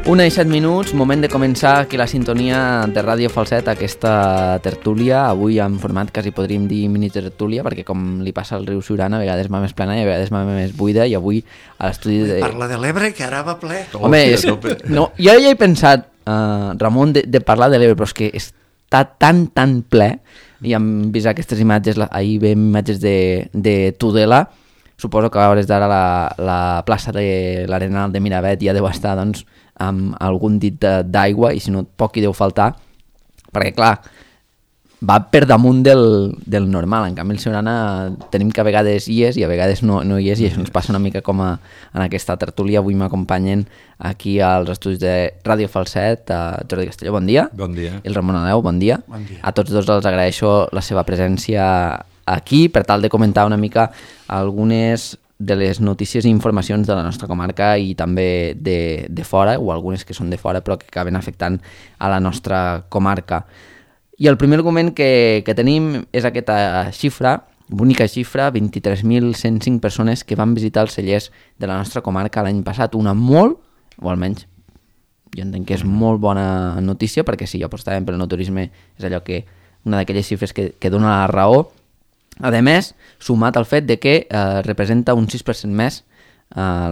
1:07, moment de començar aquí la sintonia de Ràdio Falset, aquesta tertúlia, avui en format quasi podríem dir mini tertúlia, perquè com li passa al riu Siurana, a vegades va més plena i a vegades va més buida, i avui a l'estudi de... Parla de l'Ebre, que ara va ple. Home, no, jo ja he pensat, Ramon, de parlar de l'Ebre, però és que està tan ple, i hem vist aquestes imatges, ahir veiem imatges de Tudela. Suposo que a hores d'ara la plaça de l'Arenal de Miravet ja deu estar, doncs, amb algun dit d'aigua, i si no, poc hi deu faltar, perquè, clar, va per damunt del normal. En canvi, el Siurana tenim que a vegades hi és i a vegades no hi és, i això ens passa una mica com en aquesta tertúlia. Avui m'acompanyen aquí als estudis de Ràdio Falset, Jordi Castelló, bon dia. Bon dia. I el Ramon Aleu, bon dia. Bon dia. A tots dos els agraeixo la seva presència aquí per tal de comentar una mica algunes de les notícies i informacions de la nostra comarca i també de fora, o algunes que són de fora però que acaben afectant a la nostra comarca. I el primer argument que tenim és aquesta xifra, bonica xifra, 23.105 persones que van visitar els cellers de la nostra comarca l'any passat. Una molt, o almenys jo entenc que és molt bona notícia, perquè si apostàvem pel no turisme és allò que una d'aquelles xifres que dona la raó. A més, sumat al fet de que representa un 6% més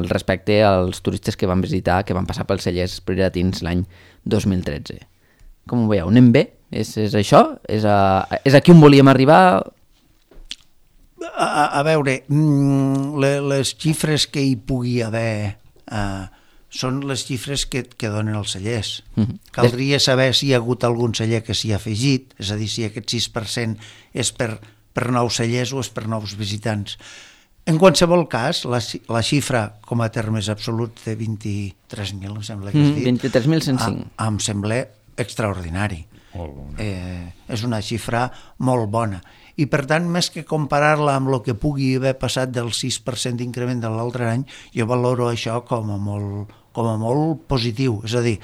respecte als turistes que van visitar, que van passar pels cellers prioratins l'any 2013. Com ho veieu? Anem bé? És això? És aquí on volíem arribar? A veure, les xifres que hi pugui haver són les xifres que donen els cellers. Caldria saber si hi ha hagut algun celler que s'hi ha afegit, és a dir, si aquest 6% és per nous cellers o és per nous visitants. En qualsevol cas, la xifra com a termes absoluts de 23.000, em sembla que has dit, 23.105. em sembla extraordinari. És una xifra molt bona. I per tant, més que comparar-la amb el que pugui haver passat del 6% d'increment de l'altre any, jo valoro això com a molt positiu. És a dir,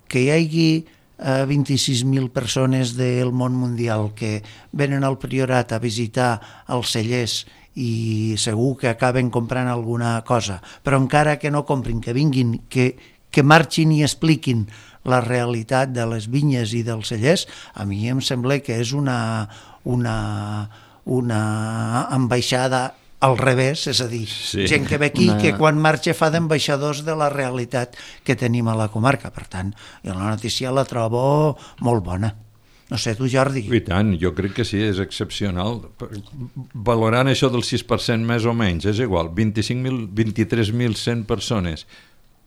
que hi hagi 26.000 persones del món mundial que venen al Priorat a visitar els cellers i segur que acaben comprant alguna cosa, però encara que no comprin, que vinguin, que marxin i expliquin la realitat de les vinyes i dels cellers, a mi em sembla que és una ambaixada al revés, és a dir, gent que ve aquí que quan marxa fa d'ambaixadors de la realitat que tenim a la comarca. Per tant, jo la notícia la trobo molt bona. No sé, tu, Jordi? I tant, jo crec que sí, és excepcional. Valorant això del 6% més o menys, és igual, 23.100 persones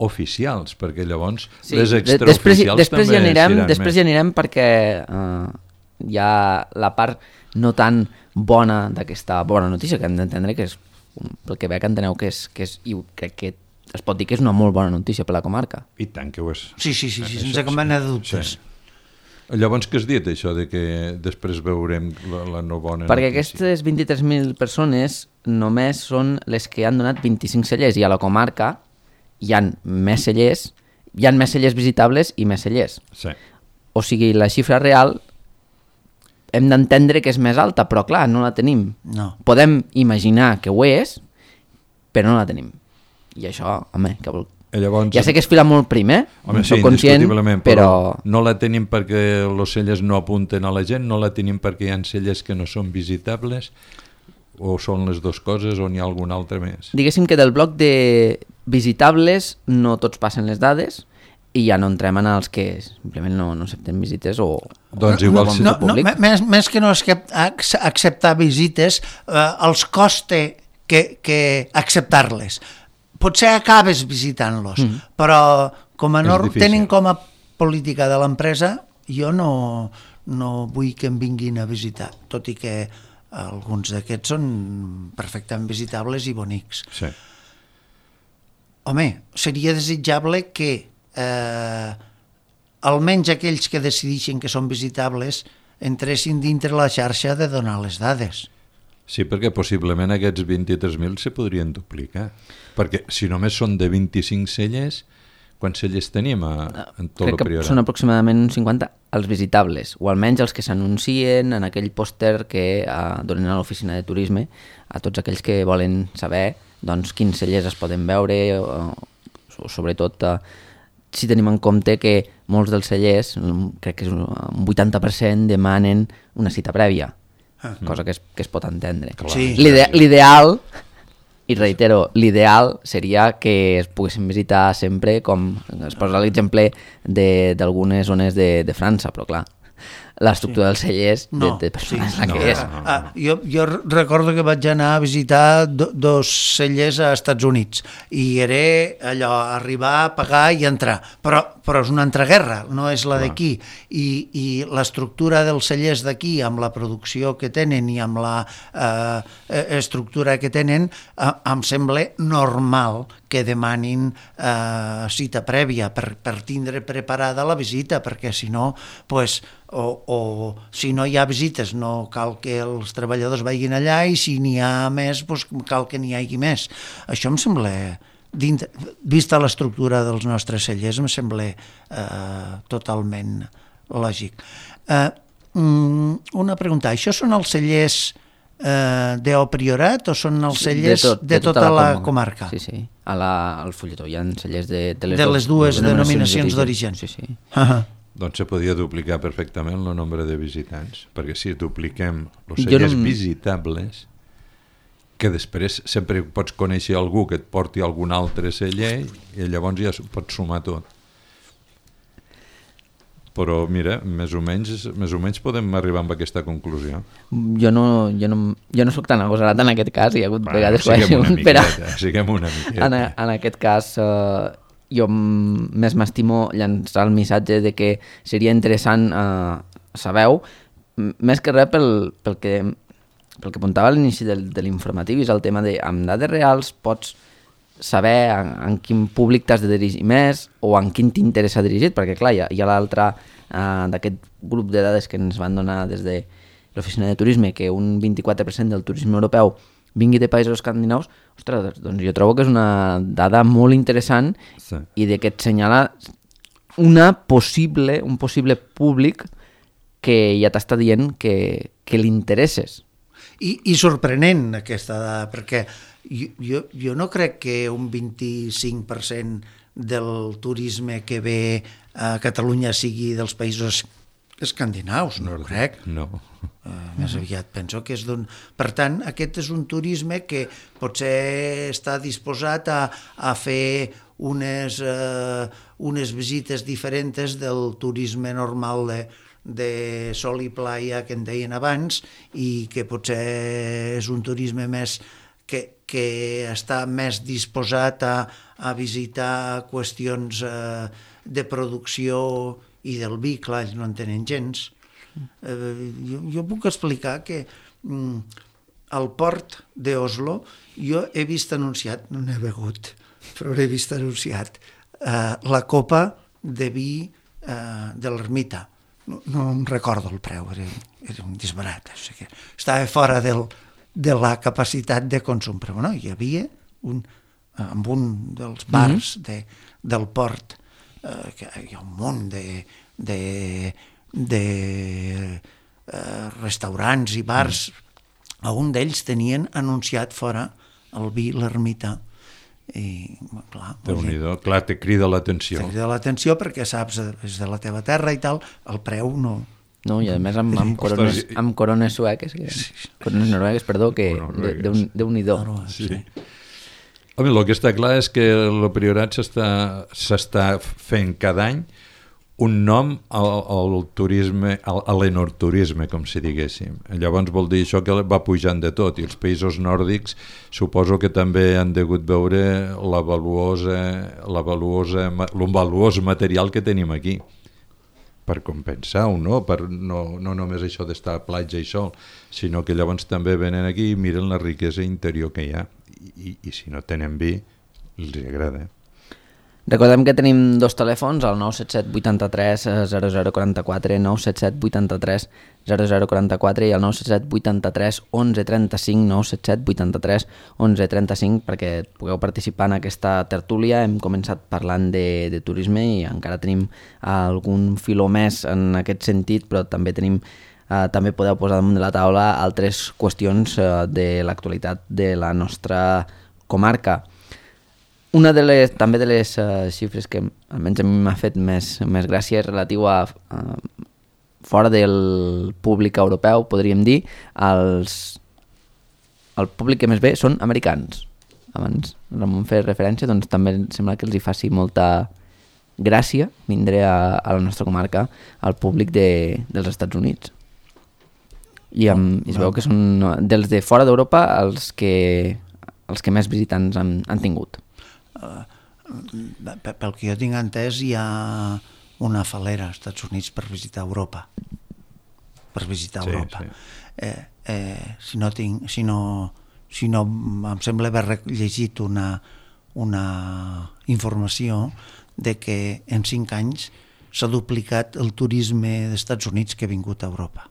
oficials, perquè llavors les extraoficials també seran més. Després ja anirem perquè hi ha la part no tan bona d'aquesta bona notícia, que hem d'entendre que és, pel que veig enteneu que és, i crec que es pot dir que és una molt bona notícia per la comarca. I tant que ho és. Sí, sense cap mena de dubtes. Sí. Llavors, què has dit, això de que després veurem la no bona perquè notícia? Aquestes 23.000 persones només són les que han donat 25 cellers, i a la comarca hi ha més cellers visitables i més cellers. Sí. O sigui, la xifra real hem d'entendre que és més alta, però clar, no la tenim. No. Podem imaginar que ho és, però no la tenim. I això, home, que vol... Llavors, ja sé que es fila molt prim, home, sí, soc conscient, però no la tenim perquè els cellers no apunten a la gent, no la tenim perquè hi ha cellers que no són visitables, o són les dues coses, o n'hi ha algun altre més? Diguéssim que del bloc de visitables no tots passen les dades, i ja no entrem en els que simplement no accepten visites o... Doncs igual més que no acceptar visites, els costa que acceptar-les. Potser acabes visitant-los, però com a tenen com a política de l'empresa, jo no vull que em vinguin a visitar, tot i que alguns d'aquests són perfectament visitables i bonics. Sí. Home, seria desitjable que almenys aquells que decideixen que són visitables entressin dintre la xarxa de donar les dades. Sí, perquè possiblement aquests 23.000 se podrien duplicar, perquè si només són de 25 cellers, quants cellers tenim en tot el Priorat? Crec que són aproximadament uns 50 els visitables, o almenys els que s'anuncien en aquell pòster que donen a l'oficina de turisme a tots aquells que volen saber doncs, quins cellers es poden veure, o sobretot si tenim en compte que molts dels cellers, crec que és un 80%, demanen una cita prèvia, cosa que es pot entendre. Sí. L'ideal, i reitero, l'ideal seria que es poguessin visitar sempre, com es posa l'exemple d'algunes zones de França, però clar, l'estructura dels cellers de persones la que és. Jo recordo que vaig anar a visitar dos cellers a Estats Units i era allò, arribar, pagar i entrar, però és una entreguerra, no és la d'aquí, i l'estructura dels cellers d'aquí amb la producció que tenen i amb la estructura que tenen em sembla normal que demanin cita prèvia per tindre preparada la visita, perquè si no, pues, o si no hi ha visites no cal que els treballadors vagin allà, i si n'hi ha més pues, cal que n'hi hagi més. Això em sembla, vista l'estructura dels nostres cellers, em sembla totalment lògic. Una pregunta, això són els cellers d'O Priorat o són els cellers de tota la comarca? Sí, sí. Al fulletó hi ha cellers de les dues denominacions d'origen. Sí, sí. Doncs se podia duplicar perfectament el nombre de visitants, perquè si dupliquem els cellers visitables, que després sempre pots conèixer algú que et porti algun altre celler i llavors ja pots sumar tot. Però mira, més o menys podem arribar a aquesta conclusió. Jo no soc tan agosarat en aquest cas, hi ha hagut vegades siguem una miqueta. En aquest cas jo més m'estimo llançar el missatge de que seria interessant saber, més que res pel que apuntava a l'inici de l'informatiu, és el tema de amb dades reals pots saber en quin públic t'has de dirigir més o en quin t'interessa dirigit, perquè clar, hi ha l'altre d'aquest grup de dades que ens van donar des de l'oficina de turisme, que un 24% del turisme europeu vingui de països escandinaus. Ostres, doncs jo trobo que és una dada molt interessant, sí, i de que et senyala un possible públic que ja t'està dient que li interesses. I sorprenent aquesta dada, perquè jo no crec que un 25% del turisme que ve a Catalunya sigui dels països escandinaus, no ho crec. No. Més aviat penso que és d'un... Per tant, aquest és un turisme que potser està disposat a fer unes visites diferents del turisme normal de sol i playa que en deien abans, i que potser és un turisme més que està més disposat a visitar qüestions de producció i del vi, clar, ells no en tenen gens. Jo puc explicar que al port d'Oslo jo he vist anunciat, no n'he begut, però he vist anunciat la copa de vi de l'ermita. No em recordo el preu, era un disbarat, estava fora de la capacitat de consum, però bueno, hi havia en un dels bars del port, que hi ha un munt de restaurants i bars, a un d'ells tenien anunciat fora el vi l'ermita, i clar, Déu-n'hi-do, clar, te crida l'atenció. Te crida l'atenció perquè saps, és de la teva terra i tal, el preu no... No, i a més amb corones sueques, corones noruegues, perdó, que Déu-n'hi-do. Sí. Home, el que està clar és que el Priorat s'està fent cada any un nom al turisme, a l'enoturisme, com si diguéssim. Llavors vol dir això que va pujant de tot, i els països nòrdics suposo que també han degut veure el valuós material que tenim aquí, per compensar-ho, no? No només això d'estar a platja i sol, sinó que llavors també venen aquí i miren la riquesa interior que hi ha, i si no tenen vi, els agrada. Recordem que tenim dos telèfons, el 977 83 0044, 977 83 0044 i el 977 83 11 35, 977 83 11 35, perquè pugueu participar en aquesta tertúlia. Hem començat parlant de turisme i encara tenim algun filó més en aquest sentit, però també també podeu posar damunt de la taula altres qüestions de l'actualitat de la nostra comarca. Una també de les xifres que almenys a mi m'ha fet més gràcia és relatiu a fora del públic europeu, podríem dir, el públic que més ve són americans. Abans Ramon feia referència, doncs també sembla que els hi faci molta gràcia vindré a la nostra comarca al públic dels Estats Units. I es veu que són dels de fora d'Europa els que més visitants han tingut. Pel que jo tinc entès, hi ha una falera als Estats Units per visitar Europa. Europa. Si no em sembla haver llegit una informació de que en 5 anys s'ha duplicat el turisme dels Estats Units que ha vingut a Europa.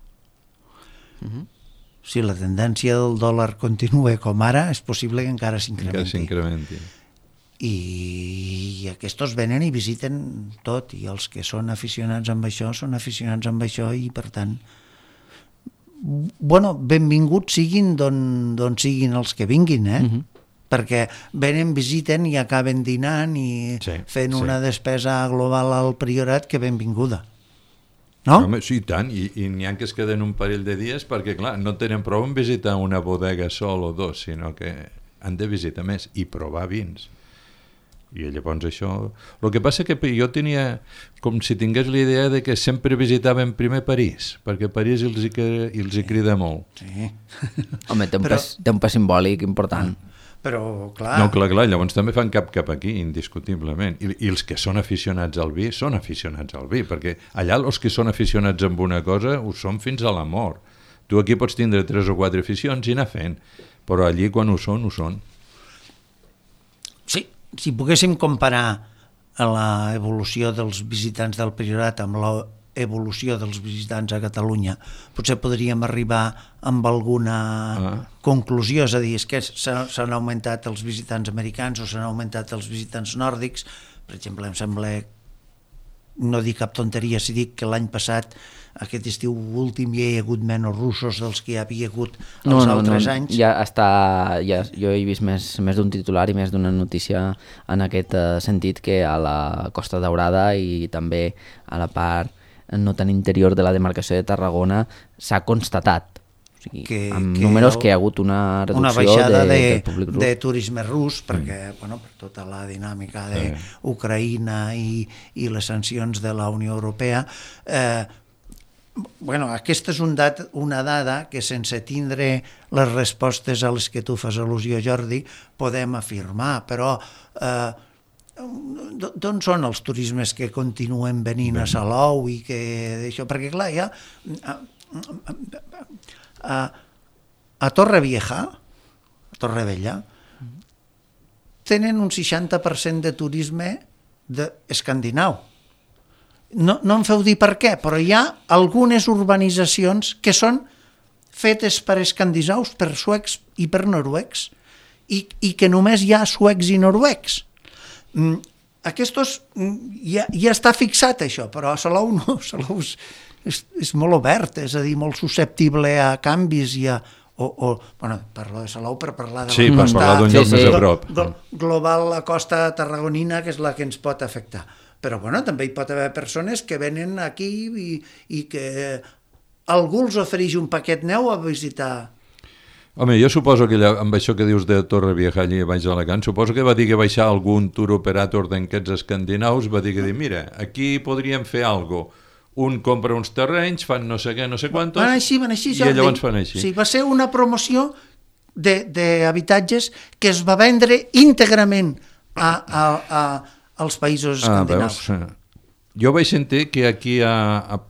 Si la tendència del dòlar continua com ara, és possible que encara s'incrementi. I aquests venen i visiten tot, i els que són aficionats amb això són aficionats amb això, i per tant benvinguts siguin d'on siguin els que vinguin, perquè venen, visiten i acaben dinant i fent una despesa global al Priorat que benvinguda. No? Home, sí, tant, i n'hi ha que es queden un parell de dies perquè, clar, no tenen prou en visitar una bodega sol o 2, sinó que han de visitar més i provar vins. I llavors això... El que passa que jo tenia com si tingués la idea de que sempre visitaven primer París, perquè París els hi crida molt. Sí. Home, té un pes simbòlic important. Però, clar... No, clar, llavors també fan cap aquí, indiscutiblement. I els que són aficionats al vi, són aficionats al vi, perquè allà els que són aficionats amb una cosa ho són fins a la mort. Tu aquí pots tindre 3 o 4 aficions i anar fent, però allí quan ho són, ho són. Sí, si poguéssim comparar l'evolució dels visitants del Priorat amb l'evolució dels visitants a Catalunya, potser podríem arribar amb alguna conclusió, és a dir, és que s'han augmentat els visitants americans o s'han augmentat els visitants nòrdics. Per exemple, em sembla, no dic cap tonteria si dic que l'any passat, aquest estiu últim, hi ha hagut menys russos dels que hi havia hagut els altres anys. Jo he vist més d'un titular i més d'una notícia en aquest sentit, que a la Costa Daurada i també a la part no tan interior de la demarcació de Tarragona s'ha constatat, o sigui, amb números que hi ha hagut una reducció una baixada del públic rus. De turisme rus, perquè per tota la dinàmica d'Ucraïna i les sancions de la Unió Europea. Aquesta és una dada que, sense tindre les respostes a les que tu fas al·lusió, Jordi, podem afirmar, però d'on són els turismes que continuen venint a Salou i que d'això? Perquè clar, ja a Torrevella tenen un 60% de turisme escandinau. No em feu dir per què, però hi ha algunes urbanitzacions que són fetes per escandinaus, per suecs i per noruecs, i que només hi ha suecs i noruecs. Aquests ja està fixat això, però a Salou no. Salou és molt obert, és a dir, molt susceptible a canvis i a... parlo de Salou per parlar de la costa... parlar d'un lloc més a prop. Global, la costa tarragonina, que és la que ens pot afectar. Però també hi pot haver persones que venen aquí i que algú els ofereix un paquet neu a visitar. Home, jo suposo que amb això que dius de Torrevieja allà baix d'Alacant, suposo que va dir que baixar algun tour operator d'aquests escandinaus, va dir que mira, aquí podríem fer alguna cosa. Un compra uns terrenys, fan no sé què, no sé quantos, van així, i llavors fan així. Sí, va ser una promoció d'habitatges que es va vendre íntegrament als països escandinaus. Jo vaig sentir que aquí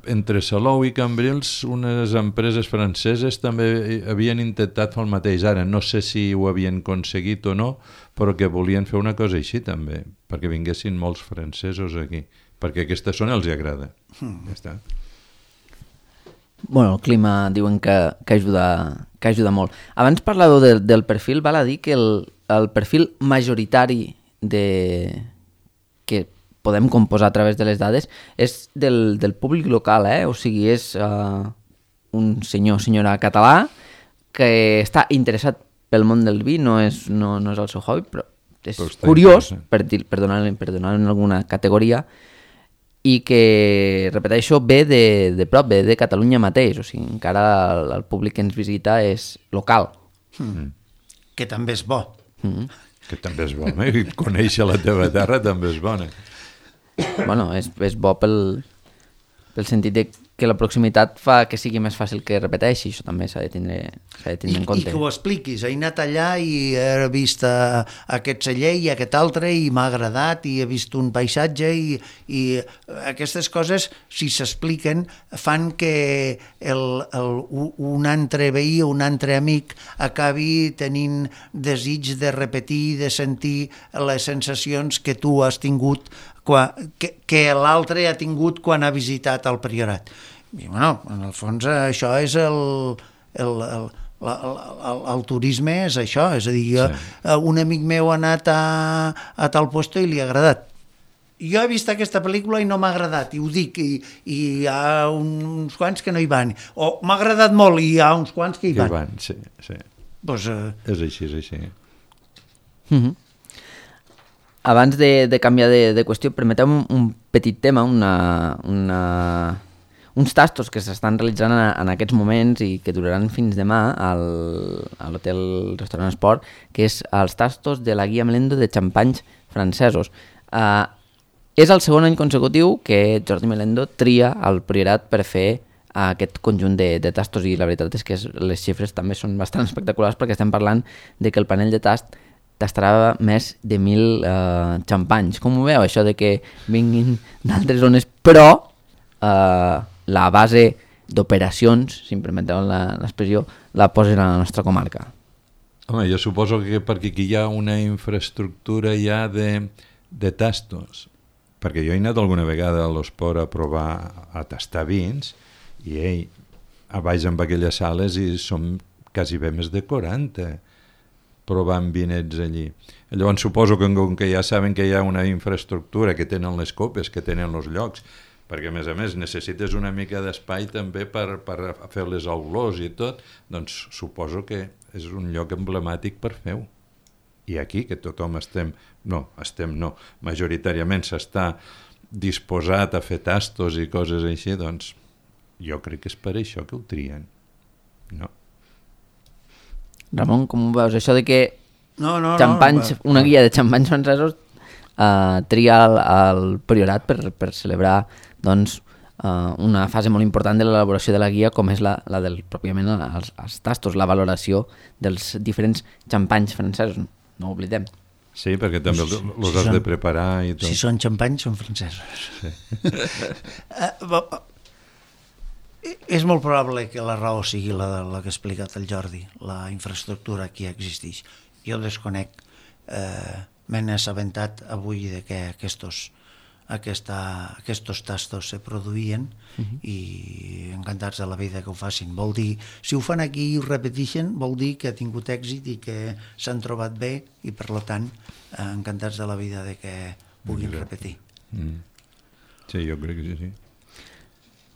entre Salou i Cambrils unes empreses franceses també havien intentat fer el mateix. Ara no sé si ho havien aconseguit o no, però que volien fer una cosa així també, perquè vinguessin molts francesos aquí, perquè aquesta zona els agrada. Ja està. Bueno, el clima diuen que ajuda molt. Abans parlàveu del perfil, val a dir que el perfil majoritari que podem composar a través de les dades és del públic local, o sigui, és un senyora català que està interessat pel món del vi, no és el seu hobby, és curiós, per donar en alguna categoria, i que, repeteixo, ve de prop, ve de Catalunya mateix, o sigui, encara el públic que ens visita és local. Que també és bo. Que també és bo, i conèixer la teva terra també és bona. Bueno, és bo pel sentit de que la proximitat fa que sigui més fàcil que repeteixi, això també s'ha de tindre en compte. I que ho expliquis, he anat allà i he vist aquest celler i aquest altre i m'ha agradat i he vist un paisatge i aquestes coses, si s'expliquen, fan que un altre veí o un altre amic acabi tenint desig de repetir, de sentir les sensacions que tu has tingut, que l'altre ha tingut quan ha visitat el Priorat. I, bueno, en el fons això és el turisme, és això, és a dir, un amic meu ha anat a tal lloc i li ha agradat. Jo he vist aquesta pel·lícula i no m'ha agradat, i ho dic, i hi ha uns quants que no hi van, o m'ha agradat molt i hi ha uns quants que hi van. Sí. Pues, és així. Abans de canviar de qüestió, permeteu un petit tema, uns tastos que s'estan realitzant en aquests moments i que duraran fins demà a l'Hotel Restaurant Esport, que és els tastos de la Guia Melendo de xampanys francesos. És el segon any consecutiu que Jordi Melendo tria el Priorat per fer aquest conjunt de tastos, i la veritat és que les xifres també són bastant espectaculars, perquè estem parlant de que el panell de tast tastarà més de 1.000 xampanys. Com ho veu, això de que vinguin d'altres zones, però la base d'operacions, si em permeteu l'expressió, la posen a la nostra comarca? Home, jo suposo que perquè aquí hi ha una infraestructura ja de tastos, perquè jo he anat alguna vegada a l'Esport a provar a tastar vins i a baix amb aquelles sales i som quasi bé més de 40 provant vinets allí. Llavors suposo que ja saben que hi ha una infraestructura, que tenen les copes, que tenen els llocs, perquè a més necessites una mica d'espai també per fer les olors i tot, doncs suposo que és un lloc emblemàtic per fer-ho. I aquí, que tothom majoritàriament s'està disposat a fer tastos i coses així, doncs jo crec que és per això que ho trien. No? Ramon, com ho veus? Això de que una guia de xampanys francesos tria el Priorat per celebrar una fase molt important de l'elaboració de la guia, com és la del pròpiament els tastos, la valoració dels diferents xampanys francesos. No ho oblidem. Sí, perquè també els has de preparar i tot. Si són xampanys, són francesos. Sí. És molt probable que la raó sigui la que ha explicat el Jordi, la infraestructura que existeix. Jo desconec, m'he assabentat avui de que aquests tastos se produïen i encantats de la vida que ho facin. Vol dir, si ho fan aquí i ho repeteixen, vol dir que ha tingut èxit i que s'han trobat bé i, per tant, encantats de la vida de que puguin repetir. Sí, jo crec que sí.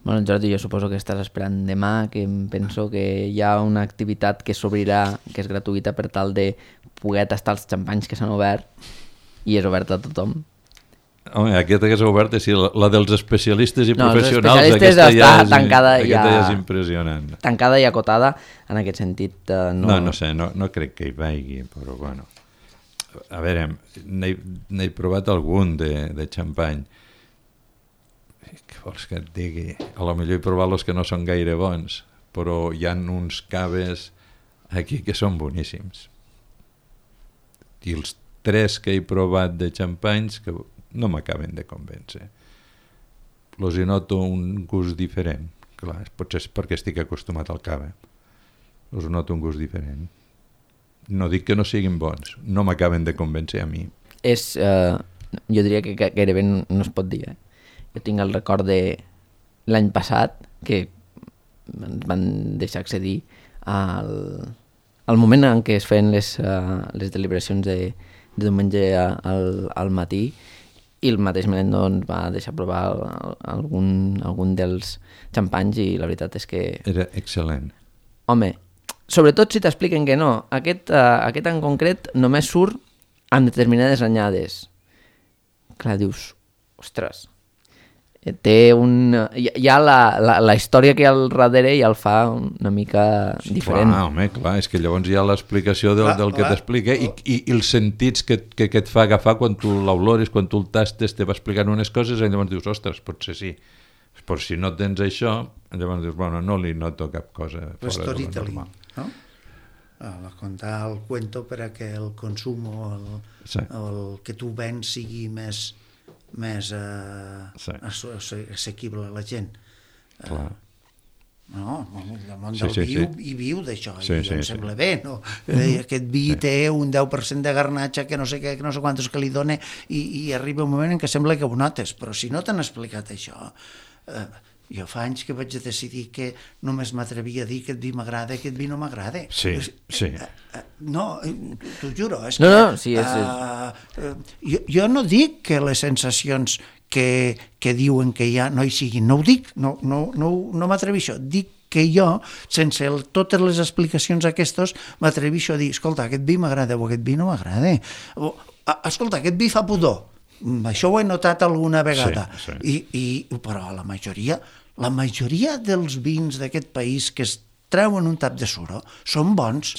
Bueno, Jordi, jo suposo que estàs esperant demà, que em penso que hi ha una activitat que s'obrirà, que és gratuïta, per tal de poder tastar els xampanys que s'han obert, i és oberta a tothom. Home, aquesta que s'ha oberta, sí, la dels especialistes i professionals, els especialistes està tancada ja és impressionant. Tancada i acotada, en aquest sentit. No sé, no crec que hi vagi, però bueno. A veure, n'he provat algun de xampany. Què vols que et digui? A lo millor he provat els que no són gaire bons, però hi ha uns caves aquí que són boníssims. I els 3 que he provat de xampanys que no m'acaben de convèncer. Els hi noto un gust diferent. Clar, potser és perquè estic acostumat al cava. Els noto un gust diferent. No dic que no siguin bons, no m'acaben de convèncer a mi. Jo diria que gairebé no es pot dir. Jo tinc el record de l'any passat que ens van deixar accedir al moment en què es feien les deliberacions de diumenge al matí, i el mateix Melendo ens va deixar provar algun dels xampanys, i la veritat és que... Era excel·lent. Home, sobretot si t'expliquen que no. Aquest en concret només surt en determinades anyades, clar, dius, ostres, té ja la història que hi ha al darrere ja el fa una mica diferent. Clar, home, clar, és que llavors hi ha l'explicació del que t'explica i els sentits que et fa agafar quan tu l'olores, quan tu el tastes, te va explicant unes coses i llavors dius, ostres, potser sí. Però si no tens això, llavors dius, bueno, no li noto cap cosa fora de lo normal. No? Contar el cuento per a que el consum o el que tu vens sigui més assequible a la gent. Clar. No, el món del vi hi viu d'això, i em sembla bé, no? Aquest vi té un 10% de garnatxa que no sé què, que no sé quantos que li dona, i arriba un moment en què sembla que ho notes, però si no t'han explicat això, jo fa anys que vaig decidir que només m'atrevia a dir que aquest vi m'agrada, aquest vi no m'agrada. Sí. No, t'ho juro. Jo no dic que les sensacions que diuen que hi ha no hi siguin, no ho dic, no m'atreveixo. Dic que jo, sense totes les explicacions aquestes, m'atreveixo a dir, escolta, aquest vi m'agrada o aquest vi no m'agrada. Escolta, aquest vi fa pudor. Això ho he notat alguna vegada. Però la majoria dels vins d'aquest país que es treuen un tap de suro són bons.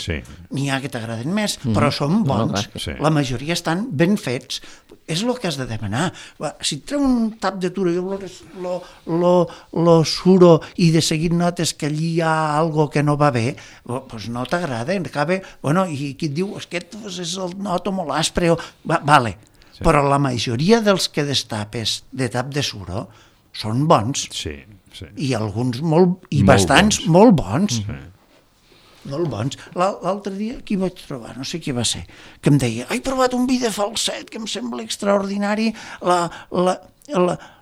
N'hi ha que t'agraden més, però són bons. La majoria estan ben fets. És el que has de demanar. Si et treuen un tap de suro i lo suro i de seguit notes que allí hi ha algo que no va bé, doncs no t'agrada. I qui et diu, aquest és el noto molt aspre, vale. Però la majoria dels que destapes de tap de suro són bons. I alguns bastants molt bons. Molt bons. L'altre dia, qui vaig trobar? No sé qui va ser. Que em deia, he provat un vi de Falset que em sembla extraordinari,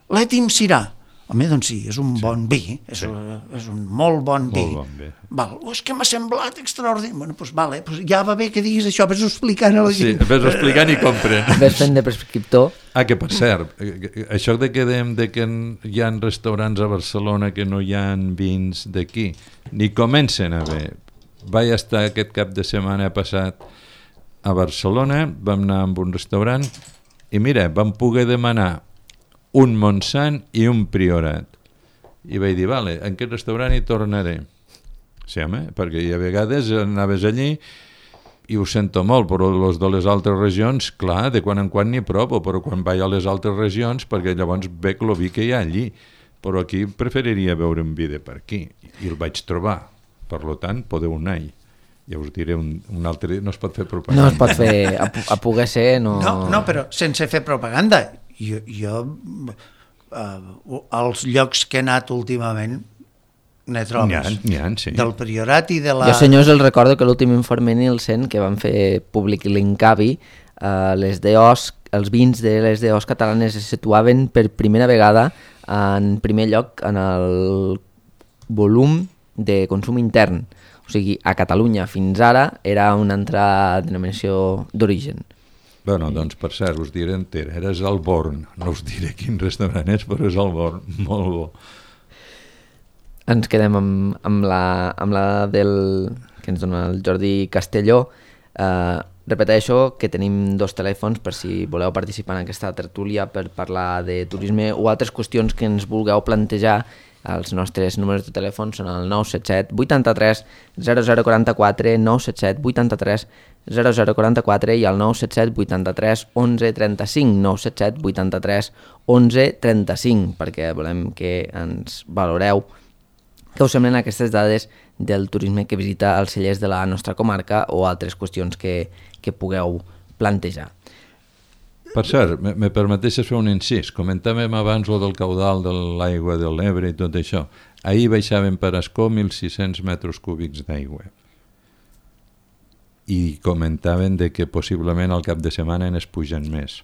l'Etim Sirà. Home, doncs sí, és un bon vi, és un molt bon vi. És que m'ha semblat extraordinari. Bueno, doncs vale, ja va bé que diguis això, ves-ho explicant a la gent. Sí, ves-ho explicant i compren. Ves fent de prescriptor. Que per cert, això de que dèiem que hi ha restaurants a Barcelona que no hi ha vins d'aquí, ni comencen a haver. Vaig estar aquest cap de setmana passat a Barcelona, vam anar a un restaurant i mira, vam poder demanar un Montsant i un Priorat. I vaig dir, vale, en aquest restaurant hi tornaré. Sí, home, perquè a vegades anaves allí i ho sento molt, però els de les altres regions, clar, de quan en quan n'hi provo, però quan vaig a les altres regions, perquè llavors veig el vi que hi ha allí. Però aquí preferiria veure un vi de per aquí, i el vaig trobar. Per tant, podeu anar-hi. Ja us diré un altre dia, no es pot fer propaganda. No es pot fer, a poder ser, no... No, però sense fer propaganda. Jo als llocs que he anat últimament n'he trobes. N'hi ha, sí. Del Priorat i de la... Jo, senyors, els recordo que l'últim informe Nielsen que van fer públic l'Incavi, els vins de les DOs catalanes es situaven per primera vegada en primer lloc en el volum de consum intern. O sigui, a Catalunya fins ara era una altra denominació d'origen. Bueno, doncs per cert, us diré entera, eres al Born, no us diré quin restaurant és, però és al Born, molt bo. Ens quedem amb la del que ens dona el Jordi Castelló. Repeteixo que tenim 2 telèfons per si voleu participar en aquesta tertúlia per parlar de turisme o altres qüestions que ens vulgueu plantejar. Els nostres números de telèfon són el 977 83 0044, 977 83 0044 i el 977 83 11 35, 977 83 11 35, perquè volem que ens valoreu què us semblen aquestes dades del turisme que visita els cellers de la nostra comarca o altres qüestions que pugueu plantejar. Per cert, me permeteixes fer un incís. Comentàvem abans el del caudal de l'aigua de l'Ebre i tot això. Ahir baixaven per Ascó 1.600 metres cúbics d'aigua. I comentaven de que possiblement al cap de setmana es pugen més.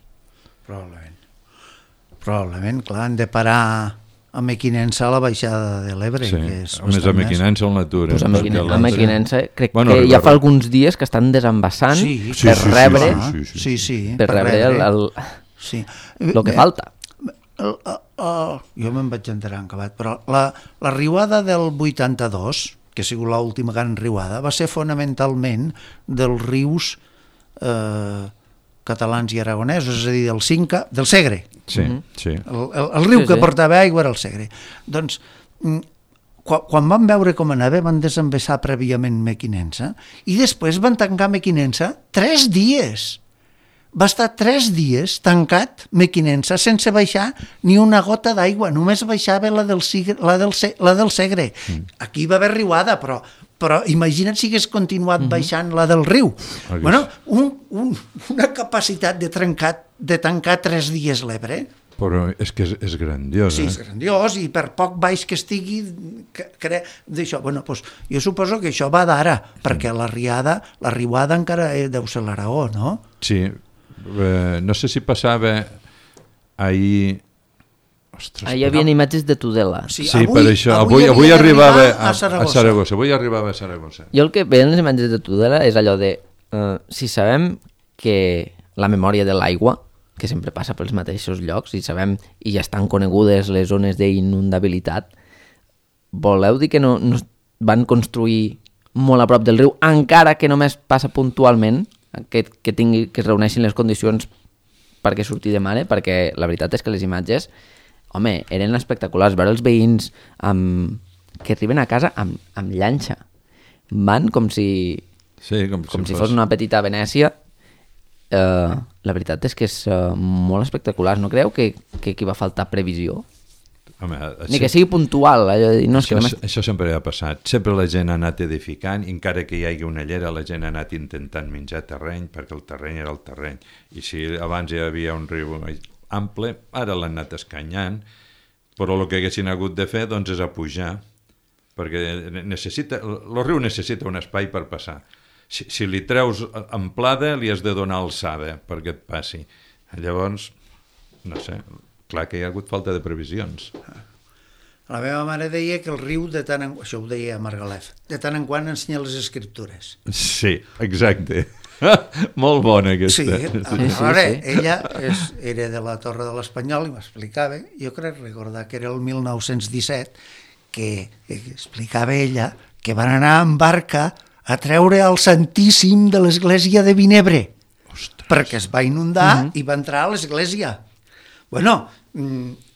Probablement, clar, han de parar a Mequinensa a la baixada de l'Ebre. Sí, més a Mequinensa on l'atura. Pues a Mequinensa crec que ja fa alguns dies que estan desembassant per rebre el que falta. Jo me'n vaig enterar en acabat, però la riuada del 82, que ha sigut l'última gran riuada, va ser fonamentalment dels rius catalans i aragonesos, és a dir, del Cinca, del Segre. Sí, sí. El riu que portava aigua era el Segre. Doncs, quan van veure com anava, van desembassar prèviament Mequinensa i després van tancar Mequinensa 3 dies. Va estar 3 dies tancat Mequinensa sense baixar ni una gota d'aigua, només baixava la del Segre. Aquí va haver riuada, però imagina't si hagués continuat baixant la del riu. Bueno, una capacitat de tancar 3 dies l'Ebre. Però és que és grandiós. Sí, és grandiós, i per poc baix que estigui d'això. Bueno, doncs, jo suposo que això va d'ara, perquè la riuada encara deu ser l'Aragó, no? Sí, no sé si passava ahir... Ostres, hi havia imatges de Tudela. Sí, per això. Avui arribava a Saragossa. Avui arribava a Saragossa. Jo el que veien les imatges de Tudela és allò de... si sabem que la memòria de l'aigua, que sempre passa pels mateixos llocs, i ja estan conegudes les zones d'inundabilitat, voleu dir que no van construir molt a prop del riu, encara que només passa puntualment, que es reuneixin les condicions perquè surti de mare, perquè la veritat és que les imatges, home, eren espectaculars. Veure els veïns que arriben a casa amb llanxa. Van com si fos una petita Venècia. La veritat és que és molt espectacular. No creu que aquí va faltar previsió? Home, ni que sigui puntual. Això sempre ha passat. Sempre la gent ha anat edificant, i encara que hi hagi una llera, la gent ha anat intentant menjar terreny, perquè el terreny era el terreny. I si abans hi havia un riu ample, ara l'han anat escanyant, però el que haguessin hagut de fer doncs, és a pujar, perquè el riu necessita un espai per passar. Si li treus amplada, li has de donar alçada perquè et passi. Llavors, no sé, clar que hi ha hagut falta de previsions. La meva mare deia que el riu, això ho deia a Margalef, de tant en quant ensenya les escriptures. Sí, exacte. Molt bona aquesta. Sí, veure, ella era de la Torre de l'Espanyol i m'explicava, jo crec recordar que era el 1917, que explicava ella que van anar en barca a treure el Santíssim de l'església de Vinebre. Ostres. Perquè es va inundar i va entrar a l'església. Bueno,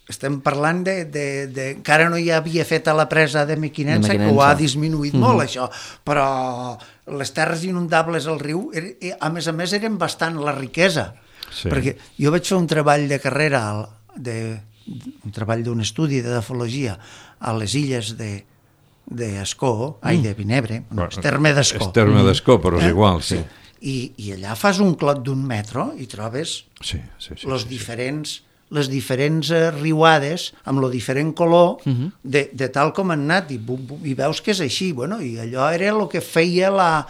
estem parlant de encara no hi havia fet a la presa de Mequinensa, que ho ha disminuït molt, això, però les terres inundables al riu, a més, eren bastant la riquesa. Sí. Perquè jo vaig fer un treball de carrera, un treball d'un estudi de edafologia a les illes d'Ascó, de Vinebre, és terme d'Ascó. És terme d'Ascó, però és igual, sí. I allà fas un clot d'1 metre i trobes les diferents riuades amb el diferent color de tal com han anat, i veus que és així. Bueno, i allò era el que feia la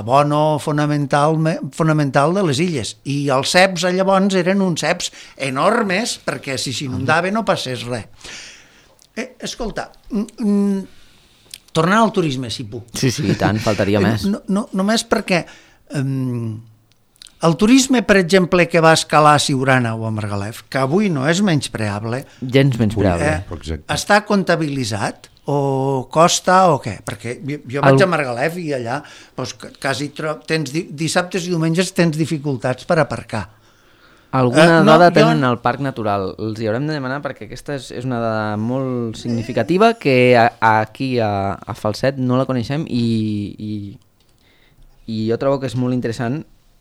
bona fonamental de les illes, i els ceps llavors eren uns ceps enormes perquè si s'inundava no passés res. Escolta, tornant al turisme, si puc. Sí, i tant, faltaria més. Només perquè el turisme, per exemple, que va escalar a Siurana o a Margalef, que avui no és menyspreable, gens menyspreable, està comptabilitzat o costa o què? Perquè jo vaig a Margalef i allà quasi dissabtes i diumenges tens dificultats per aparcar. Alguna dada tenen al Parc Natural. Els hi haurem de demanar perquè aquesta és una dada molt significativa que aquí a Falset no la coneixem i jo trobo que és molt interessant,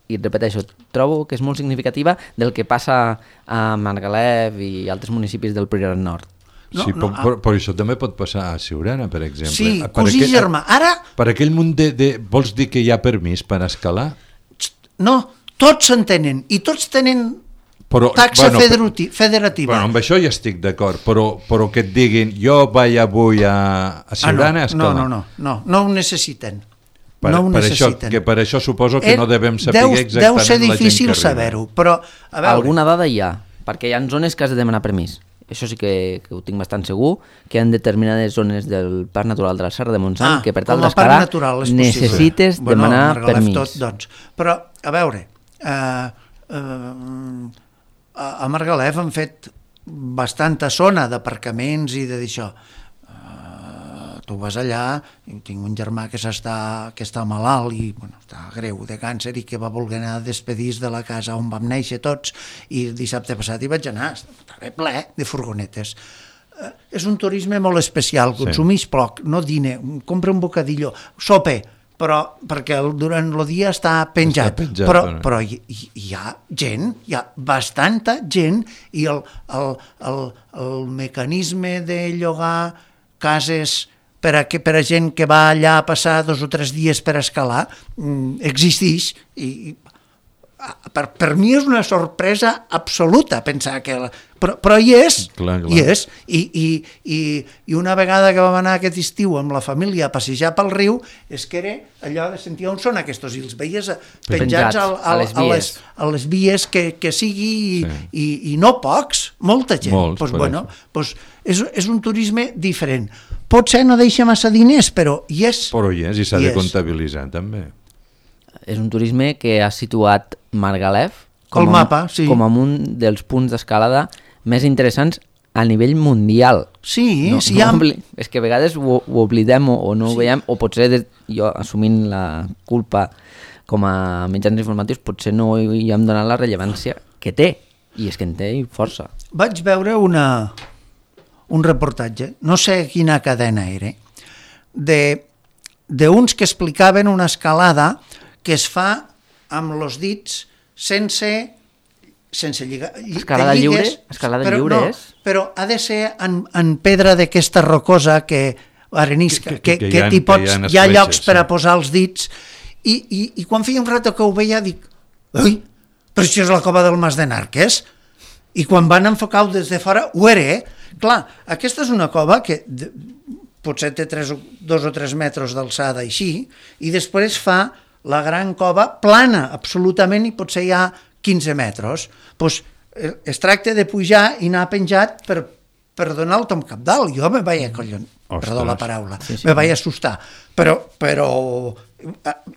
i et repeteixo, trobo que és molt significativa del que passa a Margalef i altres municipis del Priorat Nord. Però això també pot passar a Siurana, per exemple. Sí, cosí germà. Ara... Per aquell munt vols dir que hi ha permís per escalar? No, tots s'entenen i tots tenen taxa federativa. Amb això ja estic d'acord, però que et diguin jo vaig avui a Siurana a escalar. No ho necessiten. Per això suposo que no devem saber exactament deu ser difícil saber-ho, però a veure... Alguna dada hi ha, perquè hi ha zones que has de demanar permís. Això sí que ho tinc bastant segur, que hi ha determinades zones del Parc Natural de la Serra de Montsant que per tal d'escalar necessites demanar permís. Però, a veure, a Margalef han fet bastanta zona d'aparcaments i d'això. tu vas allà, tinc un germà que està malalt i està greu de càncer i que va voler anar a despedir de la casa on vam néixer tots, i el dissabte passat hi vaig anar, estava ple de furgonetes. És un turisme molt especial, consumeix poc, no dina, compra un bocadillo, sope, però perquè durant el dia està penjat, però hi ha gent, hi ha bastanta gent, i el mecanisme de llogar cases per a gent que va allà a passar 2 o 3 dies per escalar existeix, i per mi és una sorpresa absoluta pensar que... Però hi és, hi és, i una vegada que vam anar aquest estiu amb la família a passejar pel riu, és que era allò de sentir on són aquests, i els veies penjats a les vies que sigui, i no pocs, molta gent. És un turisme diferent. Potser no deixa massa diners, però hi és. Però hi és, i s'ha de comptabilitzar també. És un turisme que ha situat Margalef com a un dels punts d'escalada més interessants a nivell mundial. Sí, és que a vegades ho oblidem o no ho veiem, o potser jo, assumint la culpa com a mitjans informatius, potser no hi hem donat la rellevància que té, i és que en té força. Vaig veure un reportatge, no sé quina cadena era, d'uns que explicaven una escalada que es fa amb els dits sense lligar. Escalada lliure? Escalada lliure és? Però ha de ser en pedra d'aquesta rocosa que arenisca, que hi ha llocs per a posar els dits, i quan feia un rato que ho veia dic, ui, però això és la cova del Mas de Narques, i quan van enfocar-ho des de fora ho era, Clar, aquesta és una cova que potser té 2 o 3 metres d'alçada així, i després fa la gran cova plana, absolutament, i potser hi ha 15 metres. Doncs es tracta de pujar i anar penjat per donar el tom cabdal. Jo me vaig perdó la paraula, me vaig assustar. Però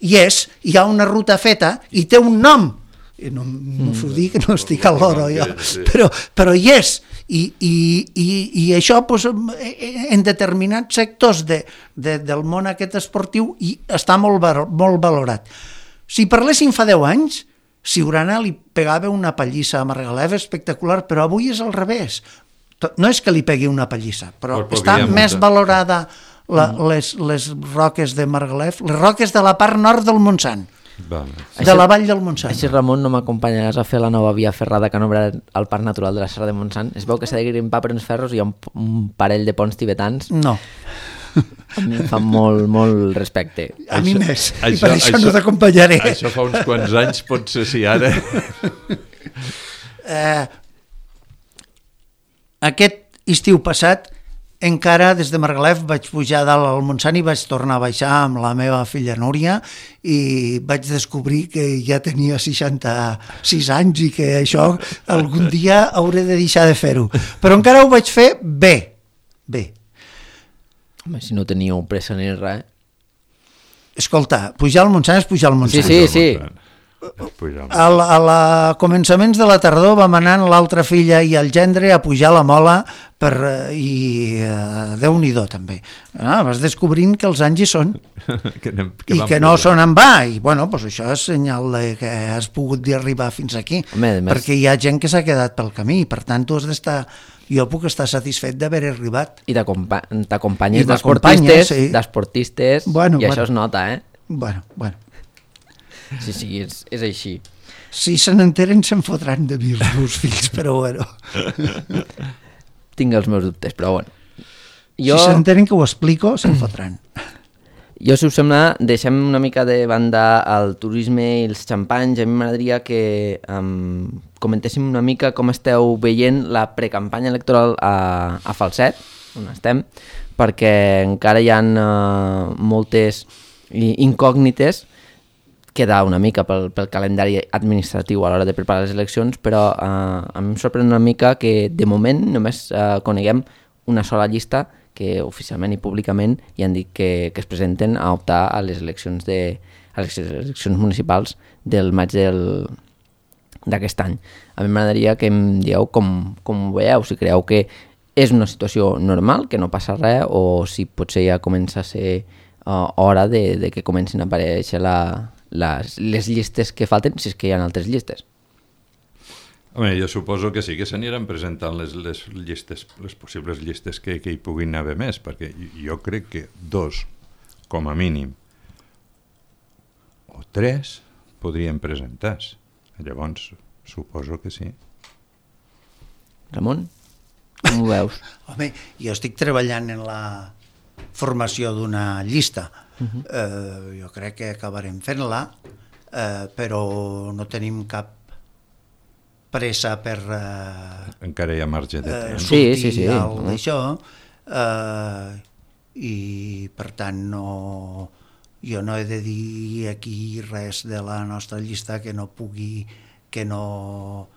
hi ha una ruta feta i té un nom. No m'ho dic, que no estic a l'hora jo, però hi és. I això en determinats sectors del món aquest esportiu està molt valorat. Si parléssim fa 10 anys, Siurana li pegava una pallissa a Margalef espectacular, però avui és al revés. No és que li pegui una pallissa, però està més valorada les roques de Margalef, les roques de la part nord del Montsant. De la vall del Montsant. Així, Ramon, no m'acompanyaràs a fer la nova via ferrada que han obert al Parc Natural de la Serra de Montsant? Es veu que s'ha de grimpar per uns ferros i hi ha un parell de ponts tibetans. No. A mi em fa molt respecte. A mi més, i per això no t'acompanyaré. Això fa uns quants anys, potser sí, ara. Aquest estiu passat encara des de Margalef vaig pujar dalt al Montsant i vaig tornar a baixar amb la meva filla Núria i vaig descobrir que ja tenia 66 anys i que això algun dia hauré de deixar de fer-ho. Però encara ho vaig fer bé. Home, si no teníeu pressa ni res. Escolta, pujar al Montsant és pujar al Montsant. Sí. A començaments de la tardor vam anar l'altra filla i el gendre a pujar la mola i Déu-n'hi-do també. Vas descobrint que els anys hi són i que no són en va, i bueno, doncs això és senyal que has pogut arribar fins aquí. Perquè hi ha gent que s'ha quedat pel camí, per tant tu has d'estar, jo puc estar satisfet d'haver arribat. I t'acompanyes d'esportistes, i això es nota, eh? Bueno. Sí, és així. Si se n'enteren se'n fotran de mi els meus fills, però bueno. Tinc els meus dubtes, però bueno. Si se n'enteren que ho explico, se'n fotran. Jo, si us sembla, deixem una mica de banda el turisme i els xampanys. A mi m'agradaria que comentéssim una mica com esteu veient la precampanya electoral a Falset, on estem, perquè encara hi ha moltes incògnites. Queda una mica pel calendari administratiu a l'hora de preparar les eleccions, però a mi em sorprèn una mica que de moment només coneguem una sola llista que oficialment i públicament hi han dit que es presenten a optar a les eleccions municipals del maig d'aquest any. A mi m'agradaria que em dieu com ho veieu, si creieu que és una situació normal, que no passa res, o si potser ja comença a ser hora de que comencin a aparèixer les llistes que falten, si és que hi ha altres llistes. Home, jo suposo que sí que s'aniran presentant les llistes, les possibles llistes que hi puguin haver més, perquè jo crec que 2, com a mínim, o 3 podrien presentar-se. Llavors, suposo que sí. Ramon, com ho veus? Home, jo estic treballant en la formació d'una llista. Jo crec que acabarem fent-la, però no tenim cap pressa per encara hi ha marge de temps. sortir d'això, i per tant jo no he de dir aquí res de la nostra llista que no pugui, que no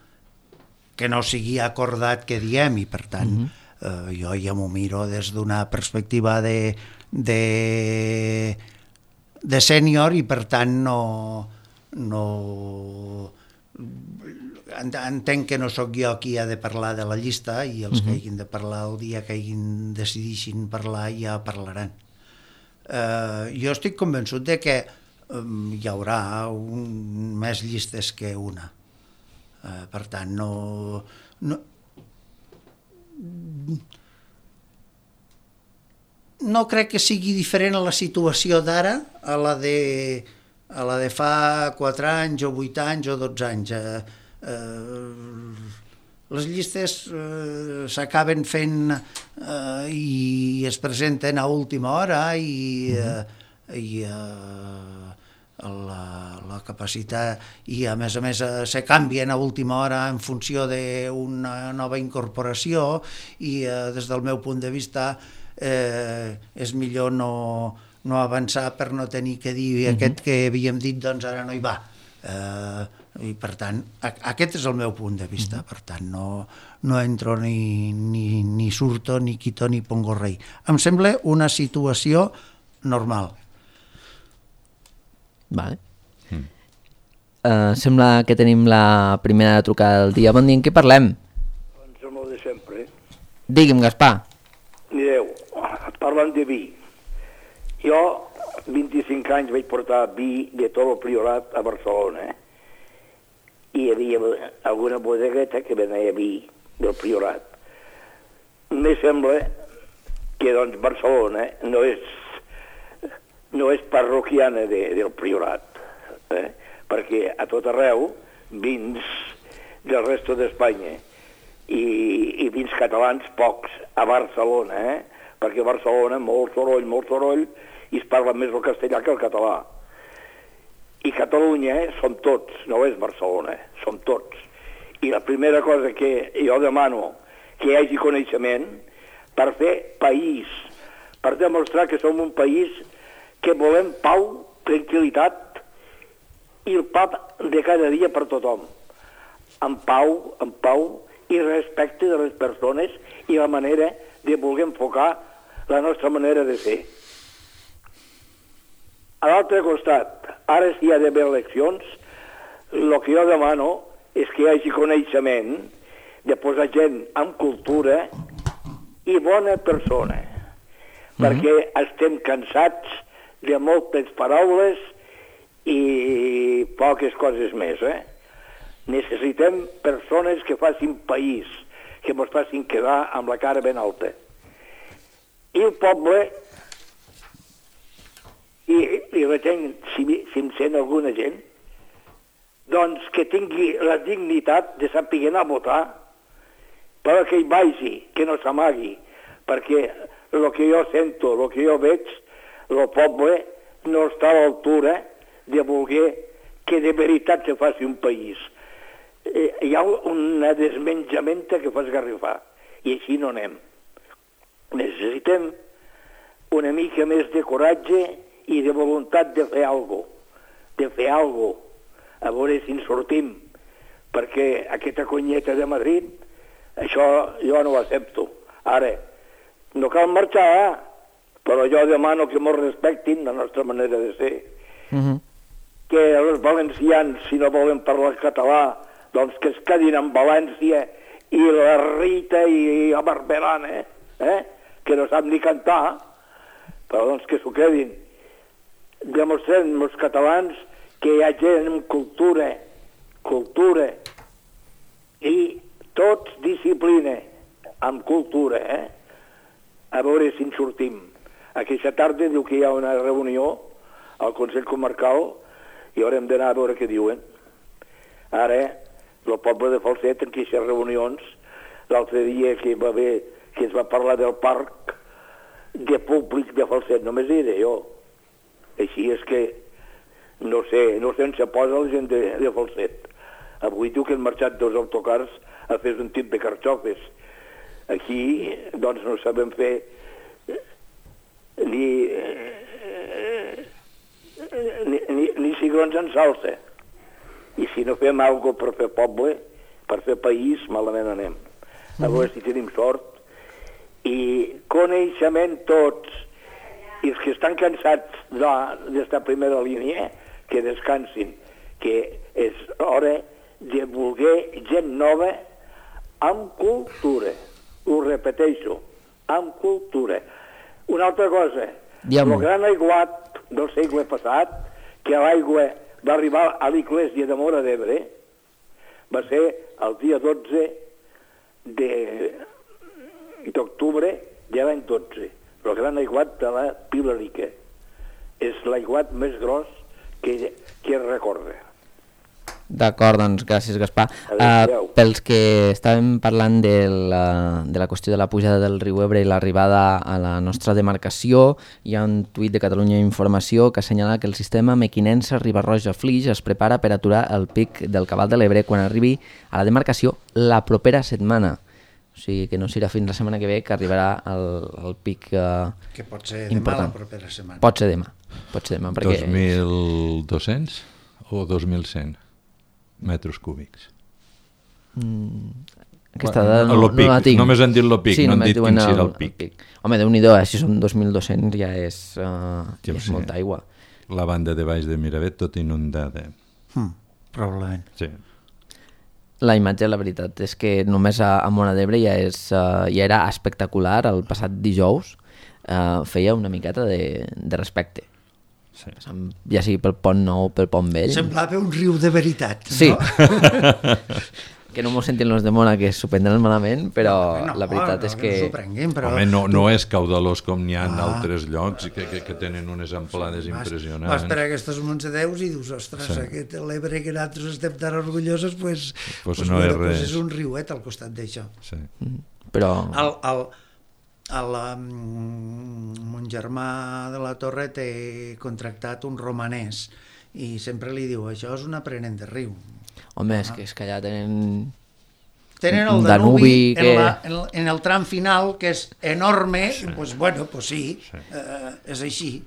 sigui acordat que diem, i per tant jo ja m'ho miro des d'una perspectiva de sènior, i per tant no entenc que no sóc jo qui ha de parlar de la llista, i els que hagin de parlar el dia que decideixin parlar ja parlaran. Jo estic convençut de que hi haurà més llistes que una. Per tant, no crec que sigui diferent a la situació d'ara a la de fa 4 anys o 8 anys o 12 anys. Les llistes s'acaben fent i es presenten a última hora, i la capacitat, i a més se canvien a última hora en funció d'una nova incorporació, i des del meu punt de vista és millor no avançar per no tenir que dir aquest que havíem dit doncs ara no hi va. I per tant, aquest és el meu punt de vista. Per tant, no entro ni surto, ni quito, ni pongo rei. Em sembla una situació normal. Vale. Sembla que tenim la primera trucada del dia. Bon dia, en què parlem? Doncs amb el de sempre. Digui'm, Gaspar. Mireu, parlant de vi. Jo, 25 anys, vaig portar vi de tot el Priorat a Barcelona, i hi havia alguna bodegueta que venia vi del Priorat. Me sembla que doncs Barcelona no és parroquiana del Priorat, perquè a tot arreu vins del resto d'Espanya i vins catalans pocs a Barcelona, perquè a Barcelona molt soroll, i es parla més el castellà que el català. I Catalunya som tots, no és Barcelona, som tots. I la primera cosa que jo demano que hi hagi coneixement per fer país, per demostrar que som un país que volem pau, tranquil·litat i el pa de cada dia per tothom. En pau i respecte de les persones i la manera de voler enfocar la nostra manera de ser. A l'altre costat, ara si hi ha d'haver eleccions, el que jo demano és que hi hagi coneixement, de posar gent amb cultura i bona persona, perquè estem cansats de moltes paraules i poques coses més. Necessitem persones que facin país, que ens facin quedar amb la cara ben alta. I el poble, i retenc, si em sent alguna gent, doncs que tingui la dignitat de saber anar a votar, però que hi vagi, que no s'amagui, perquè el que jo sento, el que jo veig, el poble no està a l'altura de voler que de veritat se faci un país. Hi ha una desmenjamenta que fa esgarrifar, i així no anem. Necessitem una mica més de coratge i de voluntat de fer alguna cosa, a veure si en sortim, perquè aquesta conyeta de Madrid, això jo no ho accepto. Ara, no cal marxar, però jo demano que ens respectin la nostra manera de ser. Que els valencians, si no volen parlar català, doncs que es quedin en València i la Rita i la Barberana, que no sap ni cantar, però doncs que s'ho quedin. Demostrem els catalans que hi ha gent amb cultura i tots disciplina amb cultura, a veure si en sortim. Aquesta tarda diu que hi ha una reunió al Consell Comarcal i haurem d'anar a veure què diuen. Ara, el poble de Falset, en aquestes reunions, l'altre dia que va haver, que es va parlar del parc de públic de Falset, només era jo. Així és que no sé on se posa la gent de Falset. Avui diu que han marxat 2 autocars a fer un tip de carxofes. Aquí, doncs, no sabem fer ni cigrons en salsa. I si no fem alguna cosa per fer poble, per fer país, malament anem. A veure si tenim sort. I coneixement tots. I els que estan cansats d'esta primera línia, que descansin, que és hora de voler gent nova amb cultura. Ho repeteixo, amb cultura. Una altra cosa, el gran aiguat del segle passat, que l'aigua va arribar a l'església de Móra d'Ebre, va ser el dia 12 d'octubre de l'any 12, el gran aiguat de la Pilarica. És l'aiguat més gros que es recorda. D'acord, doncs gràcies, Gaspar. Pels que estàvem parlant de la qüestió de la pujada del riu Ebre i l'arribada a la nostra demarcació, hi ha un tuit de Catalunya Informació que assenyala que el sistema Mequinensa-Riba-roja-Flix es prepara per aturar el pic del cabal de l'Ebre quan arribi a la demarcació la propera setmana. O sigui que no serà fins la setmana que ve que arribarà el pic que pot ser important. Demà la propera setmana. Pot ser demà perquè... 2.200 o 2.100 metres cúbics? Aquesta dada no la tinc. Només han dit el pic, no han dit quin serà el pic. Home, Déu-n'hi-do, si són 2.200 ja és molta aigua. La banda de baix de Miravet tot inundada. Probablement. Sí. La imatge, la veritat, és que només a Móra d'Ebre ja era espectacular. El passat dijous feia una miqueta de respecte. Sí. Ja sigui pel Pont Nou, pel Pont Vell. Semblava un riu de veritat, no? Sí. Que no m'ho sentin els de Móra, que s'ho prendran malament, però la veritat és que... Però... Home, no és caudalós com n'hi ha en altres llocs que tenen unes amplades impressionants. Vas per aquestes Montsedeus i dius, ostres, aquest l'Ebre que nosaltres estem tan orgullosos, pues no és res. És un riuet al costat d'això. Sí. Però... Mon germà de la Torre té contractat un romanès i sempre li diu, això és un aprenent de riu. Home, és que allà tenen el Danubi en el tram final, que és enorme, doncs bueno, sí, és així.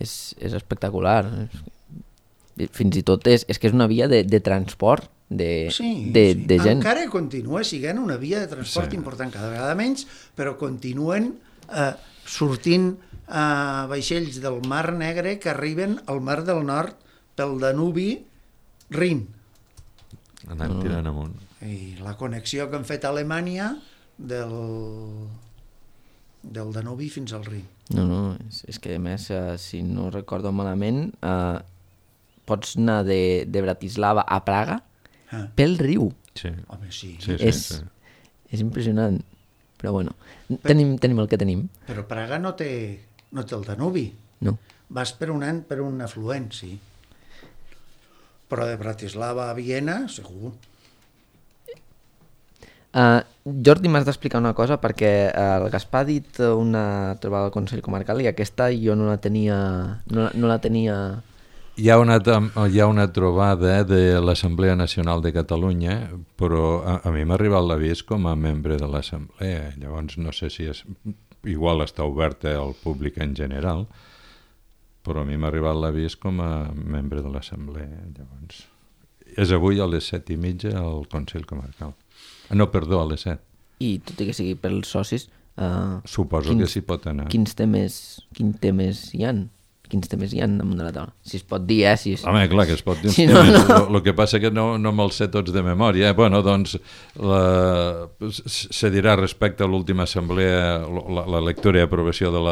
És espectacular. Fins i tot és que és una via de transport de gent. Encara continua sent una via de transport important, cada vegada menys, però continuen sortint vaixells del Mar Negre que arriben al Mar del Nord pel Danubi Rin. Anant tirant amunt. I la connexió que han fet a Alemanya del Danubi fins al Rin. No, és que a més, si no recordo malament, pots anar de Bratislava a Praga pel riu. Sí. Home, sí. És impressionant. Però bueno, tenim el que tenim. Però Praga no té el Danubi. No. Vas per un afluent, sí. Però de Bratislava a Viena, segur. Jordi, m'has d'explicar una cosa, perquè el Gaspar ha dit una trobada al Consell Comarcal i aquesta jo no la tenia... Hi ha una trobada de l'Assemblea Nacional de Catalunya, però a mi m'ha arribat l'avís com a membre de l'Assemblea. Llavors no sé si igual està oberta al públic en general, però a mi m'ha arribat l'avís com a membre de l'Assemblea. Llavors, és avui a les 7:30 al Consell Comarcal. No, perdó, a les 7. I tot i que sigui pels socis... Suposo que s'hi pot anar. Quins temes hi han? quins temes hi ha damunt de la taula? Si es pot dir, Si Home, clar que es pot dir uns si temes. No. El que passa que no me'ls sé tots de memòria. Bueno, doncs, se dirà respecte a l'última assemblea, la lectura i aprovació de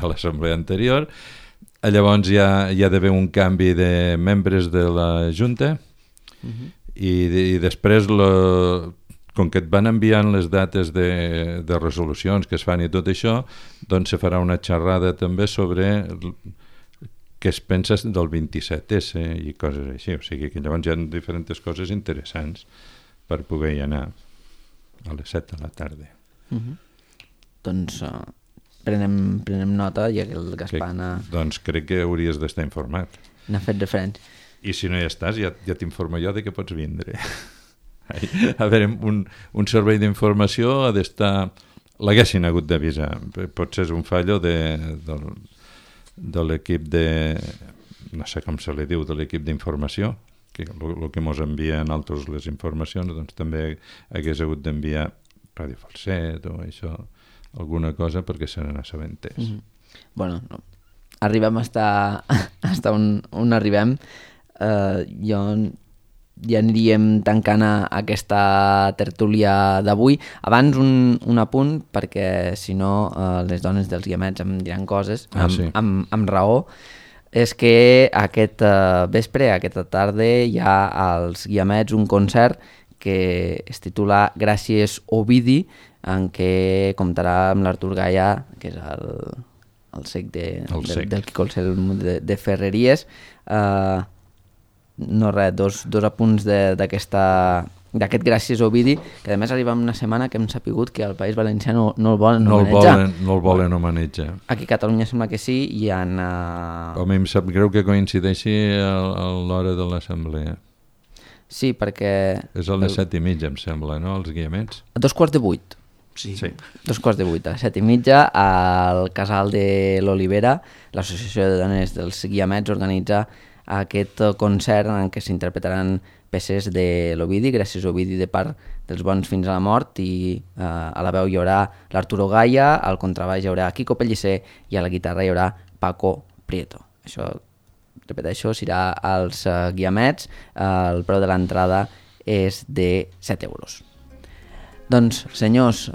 l'assemblea anterior. Llavors hi ha d'haver un canvi de membres de la Junta i després com que et van enviant les dates de resolucions que es fan i tot això, doncs se farà una xerrada també sobre què es pensa del 27S i coses així. O sigui que llavors hi ha diferents coses interessants per poder-hi anar a les 7 de la tarda. Doncs prenem nota, ja que el Gaspar Doncs crec que hauries d'estar informat. n'ha fet referència. I si no hi estàs, ja t'informo jo de que pots vindre. A veure, un servei d'informació ha d'estar... L'haguessin hagut d'avisar. Potser és un fallo de l'equip de... no sé com se li diu, de l'equip d'informació, que el que ens envia a nosaltres les informacions, doncs també hagués hagut d'enviar Ràdio Falset o això, alguna cosa perquè se n'assabentés. Bueno, no. Arribem hasta on arribem. Jo ja aniríem tancant aquesta tertúlia d'avui. Abans un apunt, perquè si no les dones dels guiamets em diran coses, amb raó, és que aquest vespre, aquesta tarda, hi ha als guiamets un concert que es titula Gràcies Ovidi, en què comptarà amb l'Artur Gaia, que és el cec del Quico el Cel de Ferreries. No res, dos apunts d'aquest Gràcies Ovidi, que a més arriba en una setmana que hem sapigut que al País Valencià no el volen homenatjar. No el volen homenatjar. Aquí a Catalunya sembla que sí, i han... Home, em sap greu que coincideixi a l'hora de l'assemblea. Sí, perquè... És a les 7:30, em sembla, no?, els guiamets. A 7:45. Sí. 7:45, a 7:30, al Casal de l'Olivera, l'Associació de Dones dels Guiamets organitza aquest concert en què s'interpretaran peces de l'Ovidi, Gràcies Ovidi, de part dels bons fins a la mort, i a la veu hi haurà l'Arturo Gaia, al contrabaix hi haurà Quico Pellicer i a la guitarra hi haurà Paco Prieto. Això, repeteixo, serà als guiamets. El preu de l'entrada és de 7 euros. Doncs, senyors,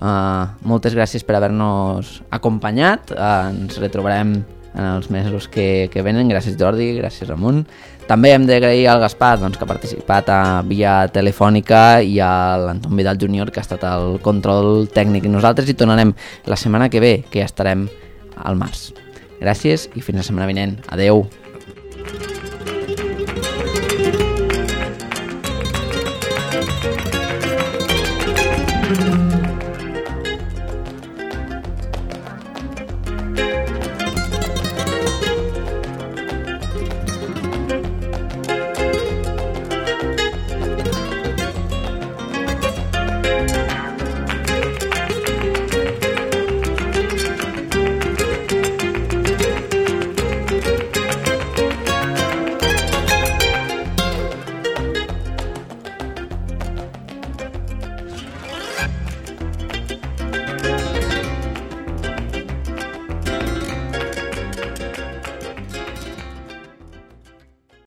moltes gràcies per haver-nos acompanyat. Ens retrobarem en els mesos que venen. Gràcies, Jordi, gràcies, Ramon. També hem d'agrair al Gaspar, doncs, que ha participat via telefònica, i a l'Anton Vidal Júnior, que ha estat el control tècnic. Nosaltres hi tornarem la setmana que ve, que ja estarem al març. Gràcies i fins la setmana vinent. Adeu.